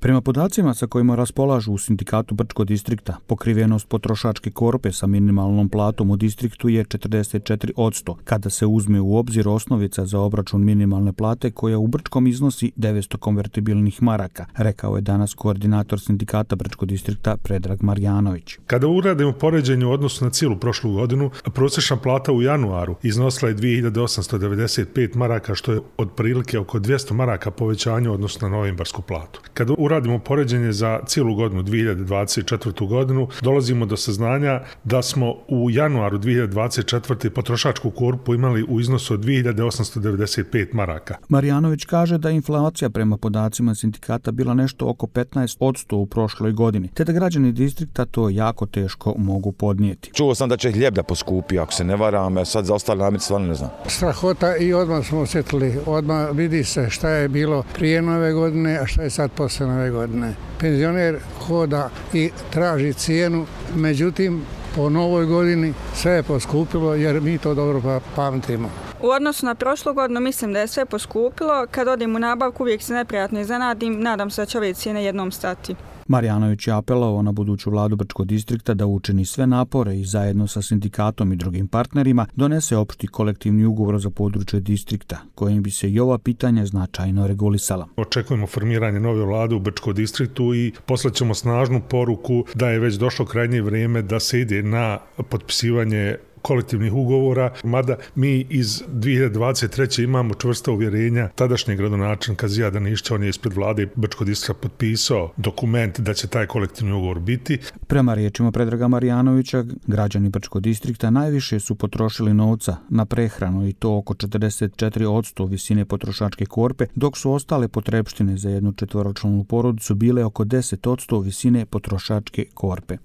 Prema podacima sa kojima raspolažu u sindikatu Brčko distrikta, pokrivenost potrošačke korpe sa minimalnom platom u distriktu je 44%, kada se uzme u obzir osnovica za obračun minimalne plate koja u Brčkom iznosi 900 konvertibilnih maraka, rekao je danas koordinator sindikata Brčko distrikta Predrag Marjanović. Kada uradimo poređenje u odnosu na cijelu prošlu godinu, prosječna plata u januaru iznosila je 2895 maraka, što je otprilike oko 200 maraka povećanja u odnosu na novembarsku platu. Kada uradimo poređenje za cijelu godinu, 2024. godinu, dolazimo do saznanja da smo u januaru 2024. potrošačku korpu imali u iznosu od 2895 maraka. Marjanović kaže da inflacija prema podacima sindikata bila nešto oko 15% u prošloj godini, te da građani distrikta to jako teško mogu podnijeti. Čuo sam da će hljeb da poskupi, ako se ne varam, sad za ostale namirnice stvarno ne znam. Strahota i odmah smo osjetili, odmah vidi se šta je bilo prije nove godine, a šta je sad posle nove godine. Penzioner hoda i traži cijenu, međutim po novoj godini sve je poskupilo jer mi to dobro pamtimo. U odnosu na prošlu godinu mislim da je sve poskupilo. Kad odim u nabavku uvijek se neprijatno iznenadim, nadam se da će ove cijene jednom stati. Marjanović je apelovao na buduću vladu Brčkog distrikta da učini sve napore i zajedno sa sindikatom i drugim partnerima donese opšti kolektivni ugovor za područje distrikta, kojim bi se i ova pitanja značajno regulisala. Očekujemo formiranje nove vlade u Brčkom distriktu i poslaćemo snažnu poruku da je već došlo krajnje vrijeme da se ide na potpisivanje kolektivnih ugovora, mada mi iz 2023. imamo čvrsta uvjerenja tadašnjeg gradonačelnika Zijada Nišća, on je ispred vlade Brčkog distrikta potpisao dokument da će taj kolektivni ugovor biti. Prema riječima Predraga Marjanovića, građani Brčkog distrikta najviše su potrošili novca na prehranu i to oko 44% visine potrošačke korpe, dok su ostale potrepštine za jednu četvoročlanu porodicu bile oko 10% visine potrošačke korpe.